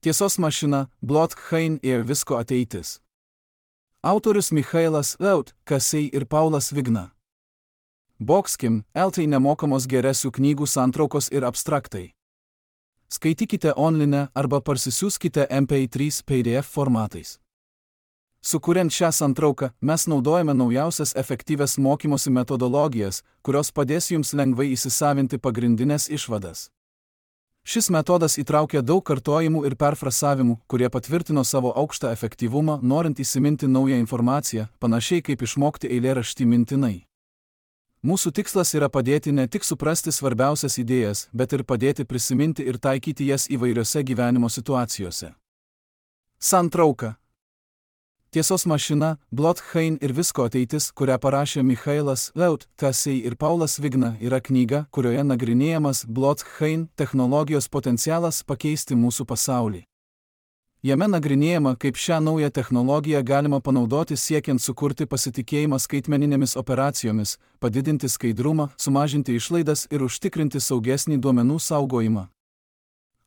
Tiesos mašina, blockchain ir visko ateitis. Autorius Michailas Laut, Kasei ir Paulas Vigna. Boxkim, LT nemokamos geresių knygų santraukos ir abstraktai. Skaitykite online arba parsisiųskite MP3 PDF formatais. Sukuriant šią santrauką, mes naudojame naujausias efektyvias mokymosi metodologijas, kurios padės jums lengvai įsisavinti pagrindinės išvadas. Šis metodas įtraukia daug kartojimų ir perfrasavimų, kurie patvirtino savo aukštą efektyvumą, norint įsiminti naują informaciją, panašiai kaip išmokti eilėraštį mintinai. Mūsų tikslas yra padėti ne tik suprasti svarbiausias idėjas, bet ir padėti prisiminti ir taikyti jas įvairiose gyvenimo situacijose. Santrauka. Tiesos mašina, blockchain ir visko ateitis, kurią parašė Michailas Laut, Kasei ir Paulas Vigna, yra knyga, kurioje nagrinėjamas blockchain technologijos potencialas pakeisti mūsų pasaulį. Jame nagrinėjama, kaip šią naują technologiją galima panaudoti siekiant sukurti pasitikėjimą skaitmeninėmis operacijomis, padidinti skaidrumą, sumažinti išlaidas ir užtikrinti saugesnį duomenų saugojimą.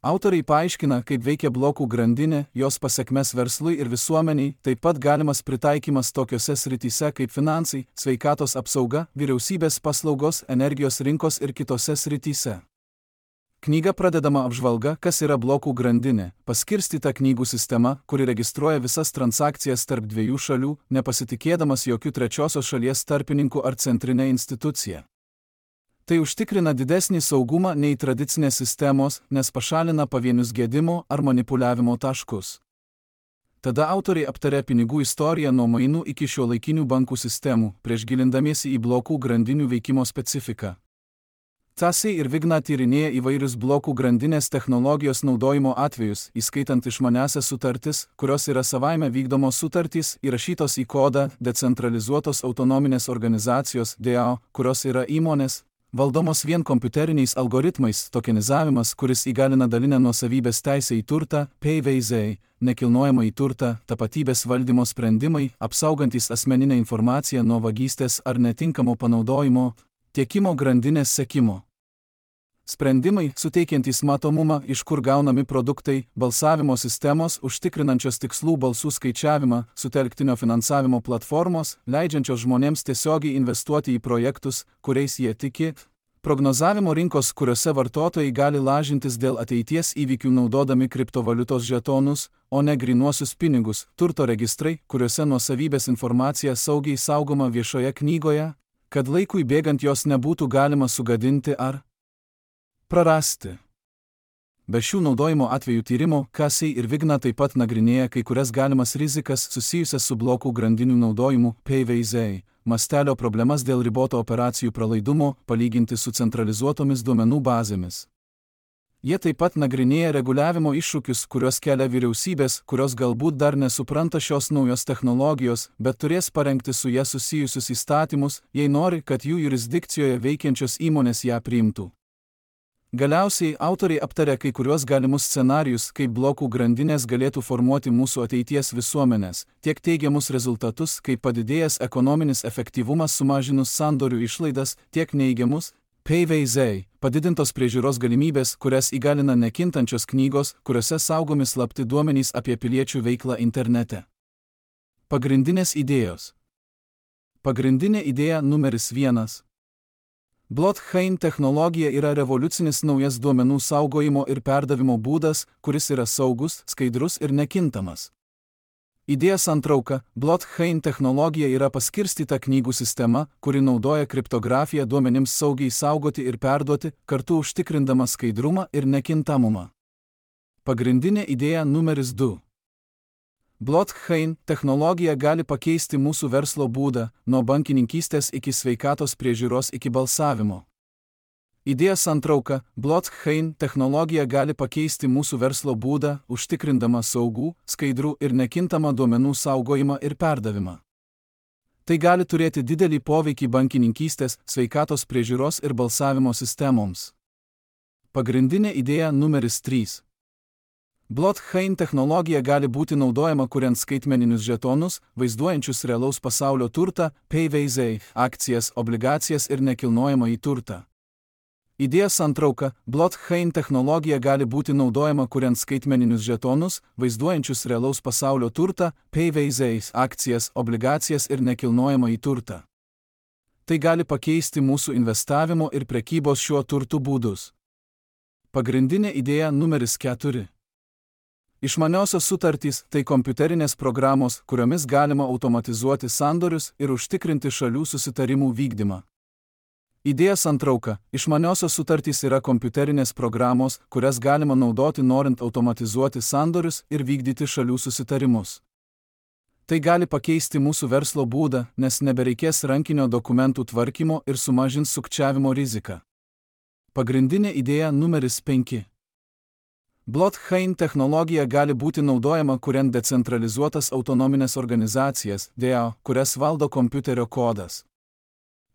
Autoriai paaiškina, kaip veikia blokų grandinė, jos pasekmes verslui ir visuomeniai, taip pat galimas pritaikymas tokiose srityse kaip finansai, sveikatos apsauga, vyriausybės paslaugos, energijos rinkos ir kitose srityse. Knyga pradedama apžvalga, kas yra blokų grandinė, paskirstyta knygų sistema, kuri registruoja visas transakcijas tarp dviejų šalių, nepasitikėdamas jokių trečiosios šalies tarpininkų ar centrinė institucija. Tai užtikrina didesnį saugumą nei tradicinės sistemos, nes pašalina pavienius gedimo ar manipuliavimo taškus. Tada autoriai aptarė pinigų istoriją nuo mainų iki šiuolaikinių bankų sistemų, prieš gilindamiesi į blokų grandinių veikimo specifiką. Kasei ir Vigna tyrinėja įvairius blokų grandinės technologijos naudojimo atvejus, įskaitant išmaniąsias sutartis, kurios yra savaime vykdomos sutartys, įrašytos į kodą, decentralizuotos autonominės organizacijos, DAO, kurios yra įmonės, valdomos vien kompiuteriniais algoritmais, tokenizavimas, kuris įgalina dalinę nuosavybės teisę į turtą, PVZ, nekilnojamą į turtą, tapatybės valdymo sprendimai, apsaugantis asmeninę informaciją nuo vagystės ar netinkamo panaudojimo, tiekimo grandinės sekimo. Sprendimai, suteikiantys matomumą, iš kur gaunami produktai, balsavimo sistemos, užtikrinančios tikslų balsų skaičiavimą, sutelktinio finansavimo platformos, leidžiančios žmonėms tiesiogiai investuoti į projektus, kuriais jie tiki, prognozavimo rinkos, kuriuose vartotojai gali lažintis dėl ateities įvykių naudodami kriptovaliutos žetonus, o ne grynuosius pinigus, turto registrai, kuriuose nuosavybės informacija saugiai saugoma viešoje knygoje, kad laikui bėgant jos nebūtų galima sugadinti ar prarasti. Be šių naudojimo atvejų tyrimo, Kasei ir Vigna taip pat nagrinėja kai kurias galimas rizikas susijusias su blokų grandinių naudojimu, PVZ, mastelio problemas dėl riboto operacijų pralaidumo, palyginti su centralizuotomis duomenų bazėmis. Jie taip pat nagrinėja reguliavimo iššūkius, kuriuos kelia vyriausybės, kurios galbūt dar nesupranta šios naujos technologijos, bet turės parengti su ją susijusius įstatymus, jei nori, kad jų jurisdikcijoje veikiančios įmonės ją priimtų. Galiausiai autoriai aptarė kai kuriuos galimus scenarijus, kaip blokų grandinės galėtų formuoti mūsų ateities visuomenės, tiek teigiamus rezultatus, kaip padidėjęs ekonominis efektyvumas sumažinus sandorių išlaidas, tiek neigiamus, PVZ, padidintos priežiūros galimybės, kurias įgalina nekintančios knygos, kuriuose saugomi slapti duomenys apie piliečių veiklą internete. Pagrindinės idėjos. Pagrindinė idėja numeris 1. Blockchain technologija yra revoliucinis naujas duomenų saugojimo ir perdavimo būdas, kuris yra saugus, skaidrus ir nekintamas. Idėja santrauka. Blockchain technologija yra paskirstyta knygų sistema, kuri naudoja kriptografiją duomenims saugiai saugoti ir perduoti, kartu užtikrindama skaidrumą ir nekintamumą. Pagrindinė idėja numeris 2. Blockchain technologija gali pakeisti mūsų verslo būdą, nuo bankininkystės iki sveikatos priežiūros iki balsavimo. Idėja santrauka. Blockchain technologija gali pakeisti mūsų verslo būdą, užtikrindama saugų, skaidrų ir nekintamą duomenų saugojimą ir perdavimą. Tai gali turėti didelį poveikį bankininkystės, sveikatos priežiūros ir balsavimo sistemoms. Pagrindinė idėja numeris 3. Blockchain technologija gali būti naudojama kuriant skaitmeninius žetonus, vaizduojančius realaus pasaulio turtą, PVZ, akcijas, obligacijas ir nekilnojamąjį turtą. Idėja santrauka. Blockchain technologija gali būti naudojama kuriant skaitmeninius žetonus, vaizduojančius realaus pasaulio turtą, PVZs, akcijas, obligacijas ir nekilnojamąjį turtą. Tai gali pakeisti mūsų investavimo ir prekybos šiuo turtu būdus. Pagrindinė idėja numeris 4. Išmaniosios sutartys – tai kompiuterinės programos, kuriomis galima automatizuoti sandorius ir užtikrinti šalių susitarimų vykdymą. Idėja santrauka. Išmaniosios sutartys yra kompiuterinės programos, kurias galima naudoti norint automatizuoti sandorius ir vykdyti šalių susitarimus. Tai gali pakeisti mūsų verslo būdą, nes nebereikės rankinio dokumentų tvarkymo ir sumažins sukčiavimo riziką. Pagrindinė idėja numeris 5. Blockchain technologija gali būti naudojama kuriant decentralizuotas autonominės organizacijas, DAO, kurias valdo kompiuterio kodas.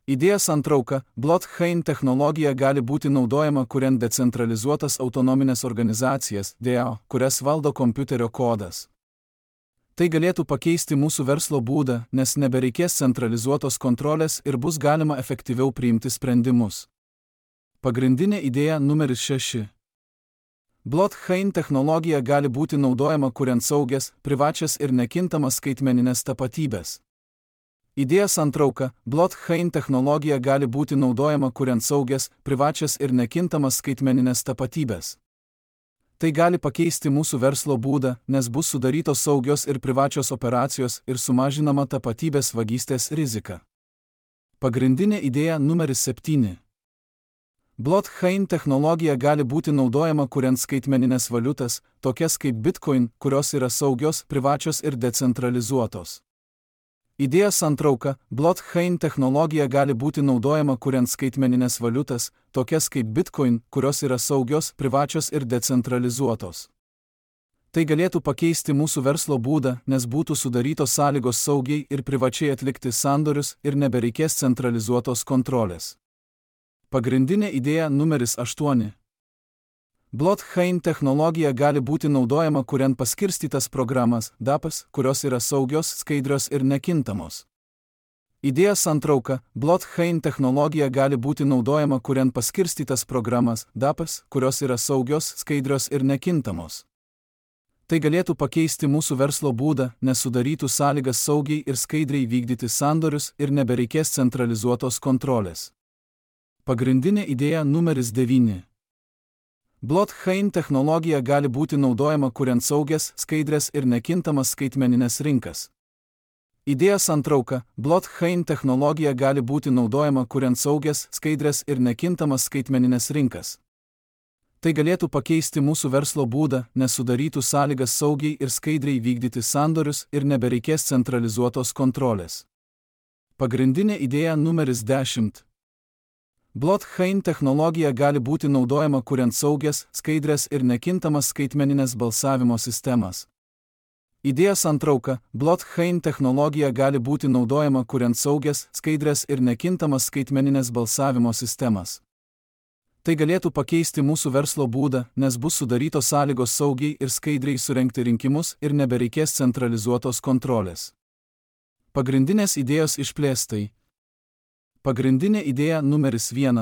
Idėja santrauka. Blockchain technologija gali būti naudojama kuriant decentralizuotas autonominės organizacijas, DAO, kurias valdo kompiuterio kodas. Tai galėtų pakeisti mūsų verslo būdą, nes nebereikės centralizuotos kontrolės ir bus galima efektyviau priimti sprendimus. Pagrindinė idėja numeris 6. Blockchain technologija gali būti naudojama kuriant saugias, privačias ir nekintamas skaitmeninės tapatybės. Idėja santrauka. Blockchain technologija gali būti naudojama kuriant saugias, privačias ir nekintamas skaitmeninės tapatybės. Tai gali pakeisti mūsų verslo būdą, nes bus sudarytos saugios ir privačios operacijos ir sumažinama tapatybės vagystės rizika. Pagrindinė idėja numeris 7. Blockchain technologija gali būti naudojama kuriant skaitmeninės valiutas, tokias kaip Bitcoin, kurios yra saugios, privačios ir decentralizuotos. Idėja santrauka. Blockchain technologija gali būti naudojama kuriant skaitmeninės valiutas, tokias kaip Bitcoin, kurios yra saugios, privačios ir decentralizuotos. Tai galėtų pakeisti mūsų verslo būdą, nes būtų sudarytos sąlygos saugiai ir privačiai atlikti sandorius ir nebereikės centralizuotos kontrolės. Pagrindinė idėja numeris 8. Blockchain technologija gali būti naudojama kuriant paskirstytas programas, DAPs, kurios yra saugios, skaidrios ir nekintamos. Idėja santrauka. Blockchain technologija gali būti naudojama kuriant paskirstytas programas, DAPs, kurios yra saugios, skaidrios ir nekintamos. Tai galėtų pakeisti mūsų verslo būdą, nes sudarytų sąlygas saugiai ir skaidriai vykdyti sandorius ir nebereikės centralizuotos kontrolės. Pagrindinė idėja numeris 9. Blockchain technologija gali būti naudojama kuriant saugias, skaidrias ir nekintamas skaitmeninės rinkas. Idėja santrauka. Blockchain technologija gali būti naudojama kuriant saugias, skaidrias ir nekintamas skaitmeninės rinkas. Tai galėtų pakeisti mūsų verslo būdą, nes sudarytų sąlygas saugiai ir skaidriai vykdyti sandorius ir nebereikės centralizuotos kontrolės. Pagrindinė idėja numeris 10. Blockchain technologija gali būti naudojama kuriant saugias, skaidrias ir nekintamas skaitmeninės balsavimo sistemas. Idėja santrauka. Blockchain technologija gali būti naudojama kuriant saugias, skaidrias ir nekintamas skaitmeninės balsavimo sistemas. Tai galėtų pakeisti mūsų verslo būdą, nes bus sudarytos sąlygos saugiai ir skaidriai surengti rinkimus ir nebereikės centralizuotos kontrolės. Pagrindinės idėjos išplėstai. Pagrindinė idėja numeris 1.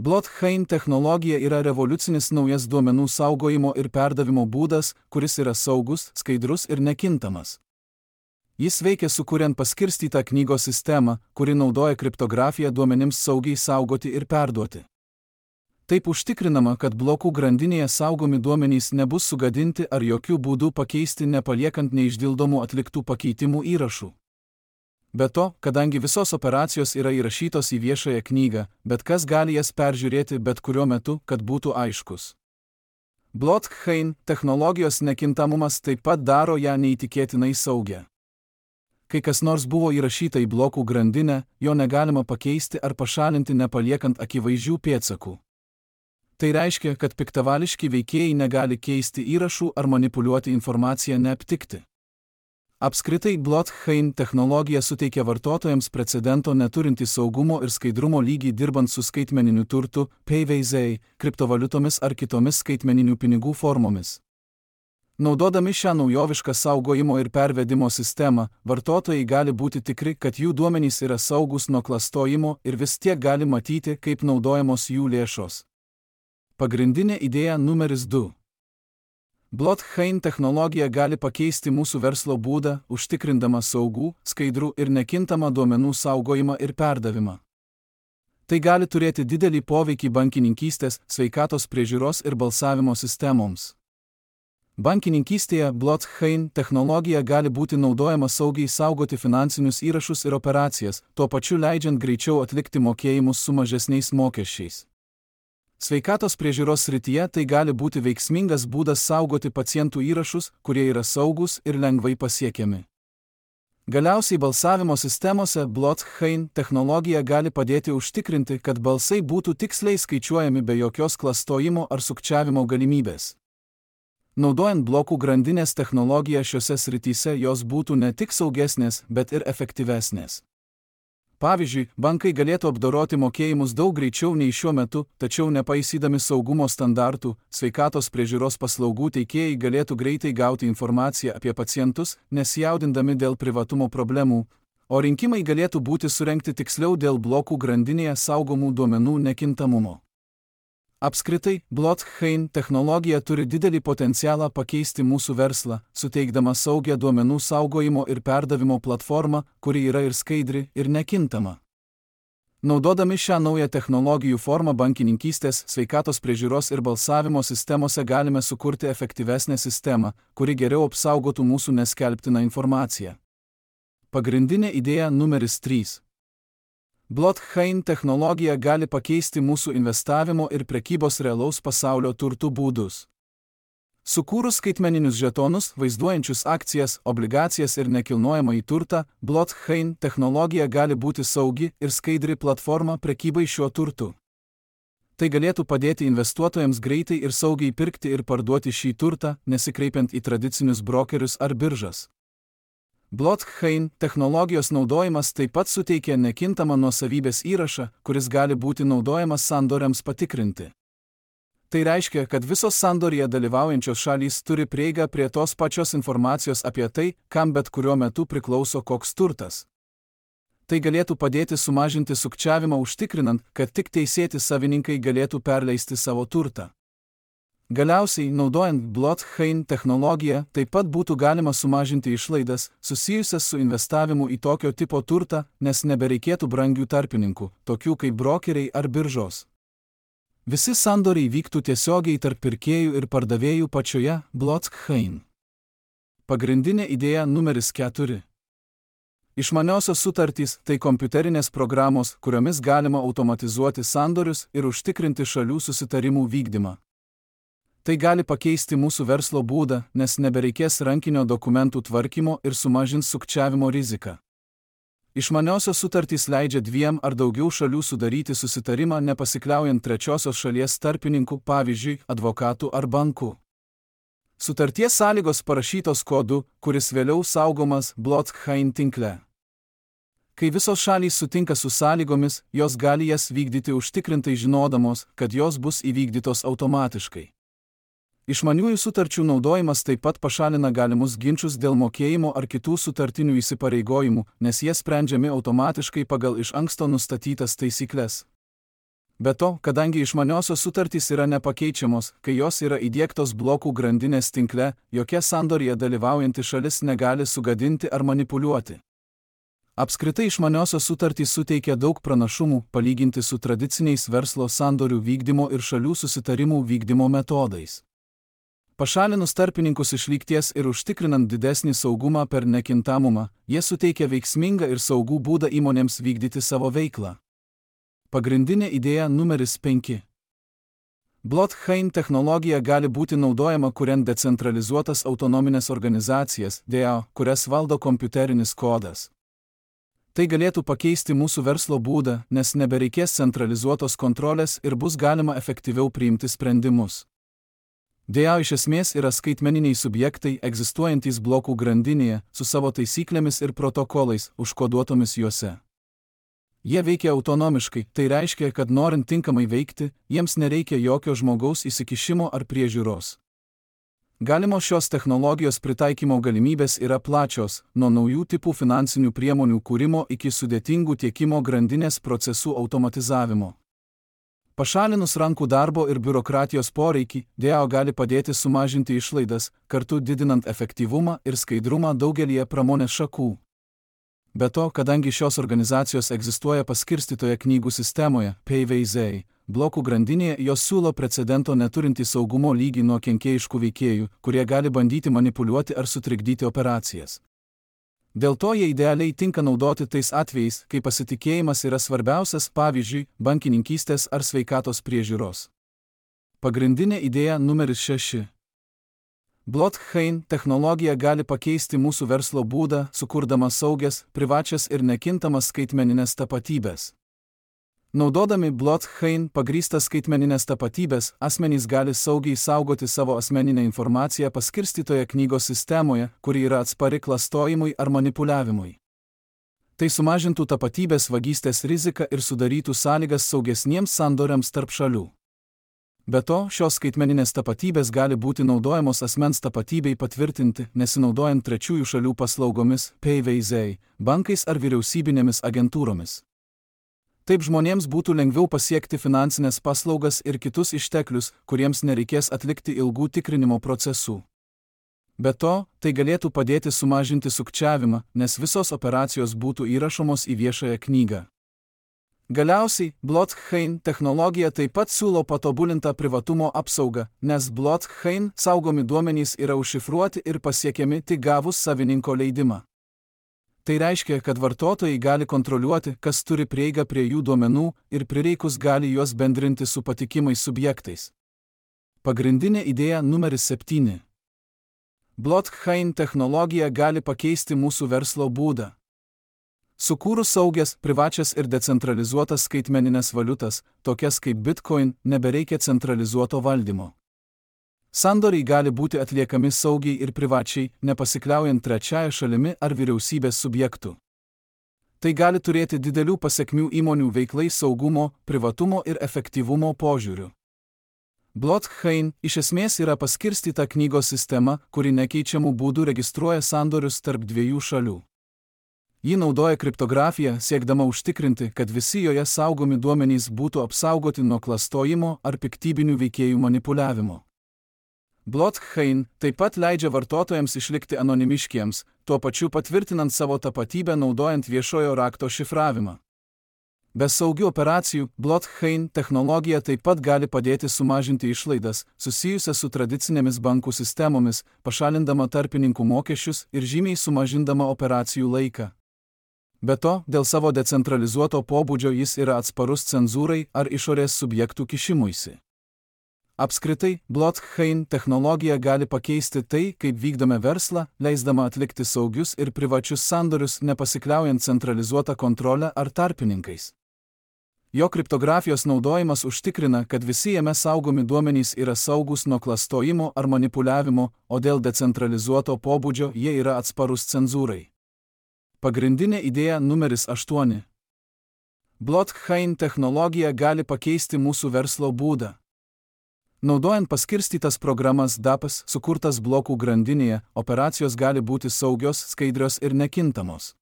Blockchain technologija yra revoliucinis naujas duomenų saugojimo ir perdavimo būdas, kuris yra saugus, skaidrus ir nekintamas. Jis veikia sukuriant paskirstytą knygos sistemą, kuri naudoja kriptografiją duomenims saugiai saugoti ir perduoti. Taip užtikrinama, kad blokų grandinėje saugomi duomenys nebus sugadinti ar jokių būdų pakeisti nepaliekant neišdildomų atliktų pakeitimų įrašų. Be to, kadangi visos operacijos yra įrašytos į viešąją knygą, bet kas gali jas peržiūrėti bet kuriuo metu, kad būtų aiškus. Blockchain technologijos nekintamumas taip pat daro ją neįtikėtinai saugią. Kai kas nors buvo įrašyta į blokų grandinę, jo negalima pakeisti ar pašalinti nepaliekant akivaizdžių pėdsakų. Tai reiškia, kad piktavališki veikėjai negali keisti įrašų ar manipuliuoti informaciją neaptikti. Apskritai, blockchain technologija suteikia vartotojams precedento neturintį saugumo ir skaidrumo lygį dirbant su skaitmeniniu turtu, PVZ, kriptovaliutomis ar kitomis skaitmeninių pinigų formomis. Naudodami šią naujovišką saugojimo ir pervedimo sistemą, vartotojai gali būti tikri, kad jų duomenys yra saugus nuo klastojimo ir vis tiek gali matyti, kaip naudojamos jų lėšos. Pagrindinė idėja numeris 2. Blockchain technologija gali pakeisti mūsų verslo būdą, užtikrindama saugų, skaidrų ir nekintamą duomenų saugojimą ir perdavimą. Tai gali turėti didelį poveikį bankininkystės, sveikatos priežiūros ir balsavimo sistemoms. Bankininkystėje blockchain technologija gali būti naudojama saugiai saugoti finansinius įrašus ir operacijas, tuo pačiu leidžiant greičiau atlikti mokėjimus su mažesniais mokesčiais. Sveikatos priežiūros srityje tai gali būti veiksmingas būdas saugoti pacientų įrašus, kurie yra saugus ir lengvai pasiekiami. Galiausiai balsavimo sistemose blockchain technologija gali padėti užtikrinti, kad balsai būtų tiksliai skaičiuojami be jokios klastojimo ar sukčiavimo galimybės. Naudojant blokų grandinės technologiją šiose srityse jos būtų ne tik saugesnės, bet ir efektyvesnės. Pavyzdžiui, bankai galėtų apdoroti mokėjimus daug greičiau nei šiuo metu, tačiau nepaisydami saugumo standartų, sveikatos priežiūros paslaugų teikėjai galėtų greitai gauti informaciją apie pacientus, nesijaudindami dėl privatumo problemų, o rinkimai galėtų būti surengti tiksliau dėl blokų grandinėje saugomų duomenų nekintamumo. Apskritai, blockchain technologija turi didelį potencialą pakeisti mūsų verslą, suteikdama saugią duomenų saugojimo ir perdavimo platformą, kuri yra ir skaidri, ir nekintama. Naudodami šią naują technologijų formą bankininkystės, sveikatos priežiūros ir balsavimo sistemose galime sukurti efektyvesnę sistemą, kuri geriau apsaugotų mūsų neskelbtiną informaciją. Pagrindinė idėja numeris 3. Blockchain technologija gali pakeisti mūsų investavimo ir prekybos realaus pasaulio turtų būdus. Sukūrus skaitmeninius žetonus, vaizduojančius akcijas, obligacijas ir nekilnojamąjį turtą, blockchain technologija gali būti saugi ir skaidri platforma prekybai šiuo turtu. Tai galėtų padėti investuotojams greitai ir saugiai pirkti ir parduoti šį turtą, nesikreipiant į tradicinius brokerius ar biržas. Blockchain technologijos naudojimas taip pat suteikia nekintamą nuosavybės įrašą, kuris gali būti naudojamas sandoriams patikrinti. Tai reiškia, kad visos sandoryje dalyvaujančios šalys turi prieigą prie tos pačios informacijos apie tai, kam bet kuriuo metu priklauso koks turtas. Tai galėtų padėti sumažinti sukčiavimą užtikrinant, kad tik teisėti savininkai galėtų perleisti savo turtą. Galiausiai, naudojant blockchain technologiją, taip pat būtų galima sumažinti išlaidas, susijusias su investavimu į tokio tipo turtą, nes nebereikėtų brangių tarpininkų, tokių kaip brokeriai ar biržos. Visi sandoriai vyktų tiesiogiai tarp pirkėjų ir pardavėjų pačioje blockchain. Pagrindinė idėja numeris 4. Išmaniosios sutartys – tai kompiuterinės programos, kuriomis galima automatizuoti sandorius ir užtikrinti šalių susitarimų vykdymą. Tai gali pakeisti mūsų verslo būdą, nes nebereikės rankinio dokumentų tvarkymo ir sumažins sukčiavimo riziką. Išmaniosios sutartys leidžia 2 ar daugiau šalių sudaryti susitarimą nepasikliaujant trečiosios šalies tarpininkų, pavyzdžiui, advokatų ar bankų. Sutarties sąlygos parašytos kodu, kuris vėliau saugomas blockchain tinkle. Kai visos šalys sutinka su sąlygomis, jos gali jas vykdyti užtikrintai žinodamos, kad jos bus įvykdytos automatiškai. Išmaniųjų sutarčių naudojimas taip pat pašalina galimus ginčus dėl mokėjimo ar kitų sutartinių įsipareigojimų, nes jie sprendžiami automatiškai pagal iš anksto nustatytas taisykles. Be to, kadangi išmaniosios sutartys yra nepakeičiamos, kai jos yra įdiegtos blokų grandinės tinkle, jokia sandorija dalyvaujanti šalis negali sugadinti ar manipuliuoti. Apskritai išmaniosios sutartys suteikia daug pranašumų palyginti su tradiciniais verslo sandorių vykdymo ir šalių susitarimų vykdymo metodais. Pašalinus tarpininkus iš lygties ir užtikrinant didesnį saugumą per nekintamumą, jie suteikia veiksmingą ir saugų būdą įmonėms vykdyti savo veiklą. Pagrindinė idėja numeris 5. Blockchain technologija gali būti naudojama kuriant decentralizuotas autonominės organizacijas, DAO, kurias valdo kompiuterinis kodas. Tai galėtų pakeisti mūsų verslo būdą, nes nebereikės centralizuotos kontrolės ir bus galima efektyviau priimti sprendimus. DAO iš esmės yra skaitmeniniai subjektai egzistuojantys blokų grandinėje su savo taisyklėmis ir protokolais, užkoduotomis juose. Jie veikia autonomiškai, tai reiškia, kad norint tinkamai veikti, jiems nereikia jokio žmogaus įsikišimo ar priežiūros. Galimos šios technologijos pritaikymo galimybės yra plačios, nuo naujų tipų finansinių priemonių kūrimo iki sudėtingų tiekimo grandinės procesų automatizavimo. Pašalinus rankų darbo ir biurokratijos poreikį, DAO gali padėti sumažinti išlaidas, kartu didinant efektyvumą ir skaidrumą daugelyje pramonės šakų. Be to, kadangi šios organizacijos egzistuoja paskirstytoje knygų sistemoje, PayVZ, blokų grandinėje, jos siūlo precedento neturintį saugumo lygį nuo kenkėjiškų veikėjų, kurie gali bandyti manipuliuoti ar sutrikdyti operacijas. Dėl to jie idealiai tinka naudoti tais atvejais, kai pasitikėjimas yra svarbiausias, pavyzdžiui, bankininkystės ar sveikatos priežiūros. Pagrindinė idėja numeris 6. Blockchain technologija gali pakeisti mūsų verslo būdą, sukurdama saugias, privačias ir nekintamas skaitmeninės tapatybės. Naudodami blockchain pagrįstas skaitmeninės tapatybės, asmenys gali saugiai saugoti savo asmeninę informaciją paskirstytoje knygos sistemoje, kuri yra atspari klastojimui ar manipuliavimui. Tai sumažintų tapatybės vagystės riziką ir sudarytų sąlygas saugesniems sandoriams tarp šalių. Be to, šios skaitmeninės tapatybės gali būti naudojamos asmens tapatybei patvirtinti, nesinaudojant trečiųjų šalių paslaugomis, PayVZ, bankais ar vyriausybinėmis agentūromis. Taip žmonėms būtų lengviau pasiekti finansinės paslaugas ir kitus išteklius, kuriems nereikės atlikti ilgų tikrinimo procesų. Be to, tai galėtų padėti sumažinti sukčiavimą, nes visos operacijos būtų įrašomos į viešąją knygą. Galiausiai, blockchain technologija taip pat siūlo patobulintą privatumo apsaugą, nes blockchain saugomi duomenys yra užšifruoti ir pasiekiami tik gavus savininko leidimą. Tai reiškia, kad vartotojai gali kontroliuoti, kas turi prieigą prie jų duomenų ir prireikus gali juos bendrinti su patikimais subjektais. Pagrindinė idėja numeris 7. Blockchain technologija gali pakeisti mūsų verslo būdą. Sukūrus saugias, privačias ir decentralizuotas skaitmeninės valiutas, tokias kaip Bitcoin, nebereikia centralizuoto valdymo. Sandoriai gali būti atliekami saugiai ir privačiai, nepasikliaujant trečiąją šalimi ar vyriausybės subjektų. Tai gali turėti didelių pasekmių įmonių veiklai saugumo, privatumo ir efektyvumo požiūriu. Blockchain iš esmės yra paskirstyta knygos sistema, kuri nekeičiamų būdų registruoja sandorius tarp dviejų šalių. Ji naudoja kriptografiją, siekdama užtikrinti, kad visi joje saugomi duomenys būtų apsaugoti nuo klastojimo ar piktybinių veikėjų manipuliavimo. Blockchain taip pat leidžia vartotojams išlikti anonimiškiems, tuo pačiu patvirtinant savo tapatybę naudojant viešojo rakto šifravimą. Be saugių operacijų, blockchain technologija taip pat gali padėti sumažinti išlaidas, susijusias su tradicinėmis bankų sistemomis, pašalindama tarpininkų mokesčius ir žymiai sumažindama operacijų laiką. Be to, dėl savo decentralizuoto pobūdžio jis yra atsparus cenzūrai ar išorės subjektų kišimuisi. Apskritai, blockchain technologija gali pakeisti tai, kaip vykdome verslą, leisdama atlikti saugius ir privačius sandorius, nepasikliaujant centralizuotą kontrolę ar tarpininkais. Jo kriptografijos naudojimas užtikrina, kad visi jame saugomi duomenys yra saugūs nuo klastojimo ar manipuliavimo, o dėl decentralizuoto pobūdžio jie yra atsparus cenzūrai. Pagrindinė idėja numeris 8. Blockchain technologija gali pakeisti mūsų verslo būdą. Naudojant paskirstytas programas DAPS, sukurtas blokų grandinėje, operacijos gali būti saugios, skaidrios ir nekintamos.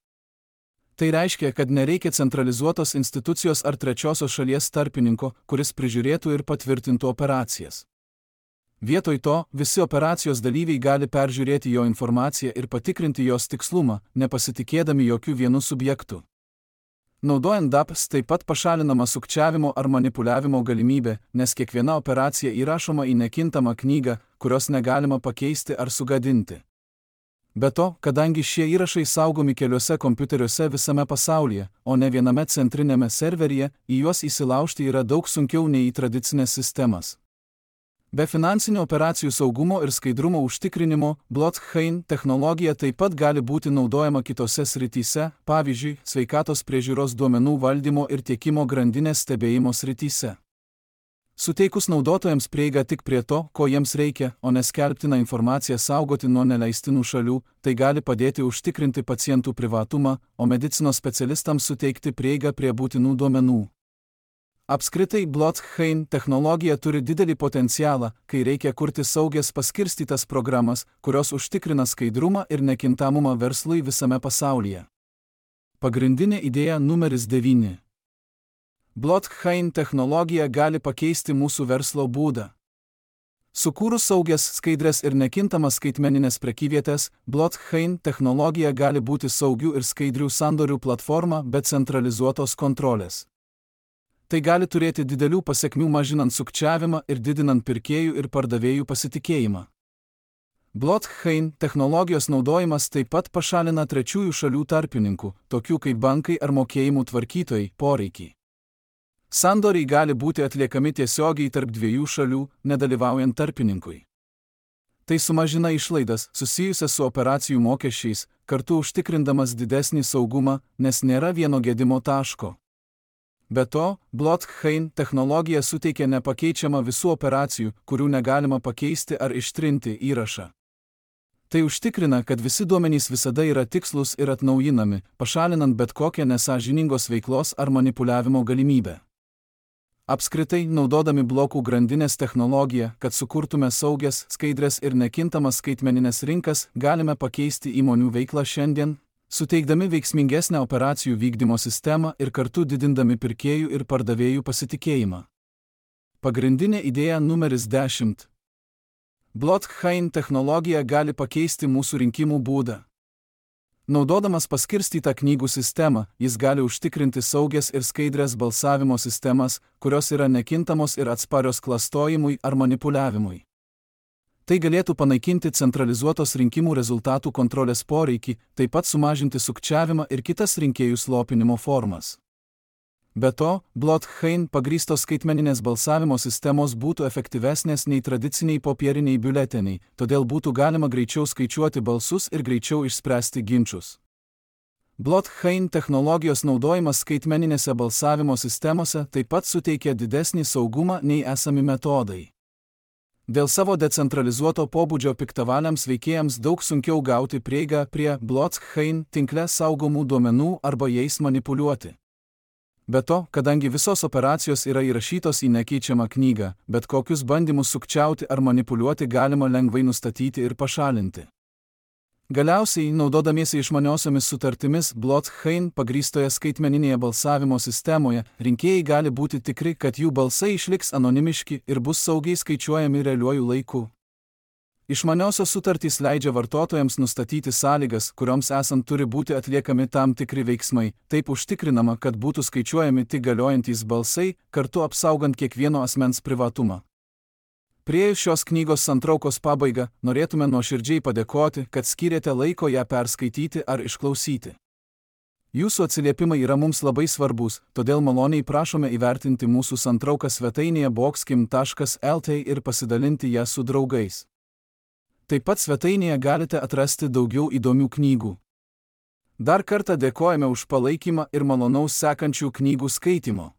Tai reiškia, kad nereikia centralizuotos institucijos ar trečiosios šalies tarpininko, kuris prižiūrėtų ir patvirtintų operacijas. Vietoj to, visi operacijos dalyviai gali peržiūrėti jo informaciją ir patikrinti jos tikslumą, nepasitikėdami jokių vienų subjektų. Naudojant DAPS taip pat pašalinama sukčiavimo ar manipuliavimo galimybė, nes kiekviena operacija įrašoma į nekintamą knygą, kurios negalima pakeisti ar sugadinti. Be to, kadangi šie įrašai saugomi keliuose kompiuteriuose visame pasaulyje, o ne viename centrinėme serveryje, į juos įsilaužti yra daug sunkiau nei į tradicinės sistemas. Be finansinių operacijų saugumo ir skaidrumo užtikrinimo, blockchain technologija taip pat gali būti naudojama kitose srityse, pavyzdžiui, sveikatos priežiūros duomenų valdymo ir tiekimo grandinės stebėjimo srityse. Suteikus naudotojams prieigą tik prie to, ko jiems reikia, o neskelbtiną informaciją saugoti nuo neleistinų šalių, tai gali padėti užtikrinti pacientų privatumą, o medicinos specialistams suteikti prieigą prie būtinų duomenų. Apskritai blockchain technologija turi didelį potencialą, kai reikia kurti saugias paskirstytas programas, kurios užtikrina skaidrumą ir nekintamumą verslui visame pasaulyje. Pagrindinė idėja numeris 9. Blockchain technologija gali pakeisti mūsų verslo būdą. Sukūrus saugias, skaidres ir nekintamas skaitmeninės prekyvietės, blockchain technologija gali būti saugių ir skaidrių sandorių platforma be centralizuotos kontrolės. Tai gali turėti didelių pasekmių mažinant sukčiavimą ir didinant pirkėjų ir pardavėjų pasitikėjimą. Blockchain technologijos naudojimas taip pat pašalina trečiųjų šalių tarpininkų, tokių kaip bankai ar mokėjimų tvarkytojai, poreikį. Sandoriai gali būti atliekami tiesiogiai tarp dviejų šalių, nedalyvaujant tarpininkui. Tai sumažina išlaidas susijusias su operacijų mokesčiais, kartu užtikrindamas didesnį saugumą, nes nėra vieno gedimo taško. Be to, blockchain technologija suteikia nepakeičiamą visų operacijų, kurių negalima pakeisti ar ištrinti įrašą. Tai užtikrina, kad visi duomenys visada yra tikslūs ir atnaujinami, pašalinant bet kokią nesąžiningos veiklos ar manipuliavimo galimybę. Apskritai, naudodami blokų grandinės technologiją, kad sukurtume saugias, skaidres ir nekintamas skaitmeninės rinkas, galime pakeisti įmonių veiklą šiandien, suteikdami veiksmingesnę operacijų vykdymo sistemą ir kartu didindami pirkėjų ir pardavėjų pasitikėjimą. Pagrindinė idėja numeris 10. Blockchain technologija gali pakeisti mūsų rinkimų būdą. Naudodamas paskirstytą knygų sistemą, jis gali užtikrinti saugias ir skaidrias balsavimo sistemas, kurios yra nekintamos ir atsparios klastojimui ar manipuliavimui. Tai galėtų panaikinti centralizuotos rinkimų rezultatų kontrolės poreikį, taip pat sumažinti sukčiavimą ir kitas rinkėjų slopinimo formas. Be to, blockchain pagrįstos skaitmeninės balsavimo sistemos būtų efektyvesnės nei tradiciniai popieriniai biuleteniai, todėl būtų galima greičiau skaičiuoti balsus ir greičiau išspręsti ginčus. Blockchain technologijos naudojimas skaitmeninėse balsavimo sistemose taip pat suteikia didesnį saugumą nei esami metodai. Dėl savo decentralizuoto pobūdžio piktavaliams veikėjams daug sunkiau gauti prieigą prie blockchain tinkle saugomų duomenų arba jais manipuliuoti. Be to, kadangi visos operacijos yra įrašytos į nekeičiamą knygą, bet kokius bandymus sukčiauti ar manipuliuoti galima lengvai nustatyti ir pašalinti. Galiausiai, naudodamiesi išmaniosiomis sutartimis blockchain pagrįstoje skaitmeninėje balsavimo sistemoje, rinkėjai gali būti tikri, kad jų balsai išliks anonimiški ir bus saugiai skaičiuojami realiuoju laiku. Išmaniosios sutartys leidžia vartotojams nustatyti sąlygas, kurioms esant turi būti atliekami tam tikri veiksmai, taip užtikrinama, kad būtų skaičiuojami tik galiojantys balsai, kartu apsaugant kiekvieno asmens privatumą. Priėjus šios knygos santraukos pabaigą, norėtume nuoširdžiai padėkoti, kad skyrėte laiko ją perskaityti ar išklausyti. Jūsų atsiliepimai yra mums labai svarbus, todėl maloniai prašome įvertinti mūsų santrauką svetainėje boxkim.lt ir pasidalinti ją su draugais. Taip pat svetainėje galite atrasti daugiau įdomių knygų. Dar kartą dėkojame už palaikymą ir malonaus sekančių knygų skaitimo.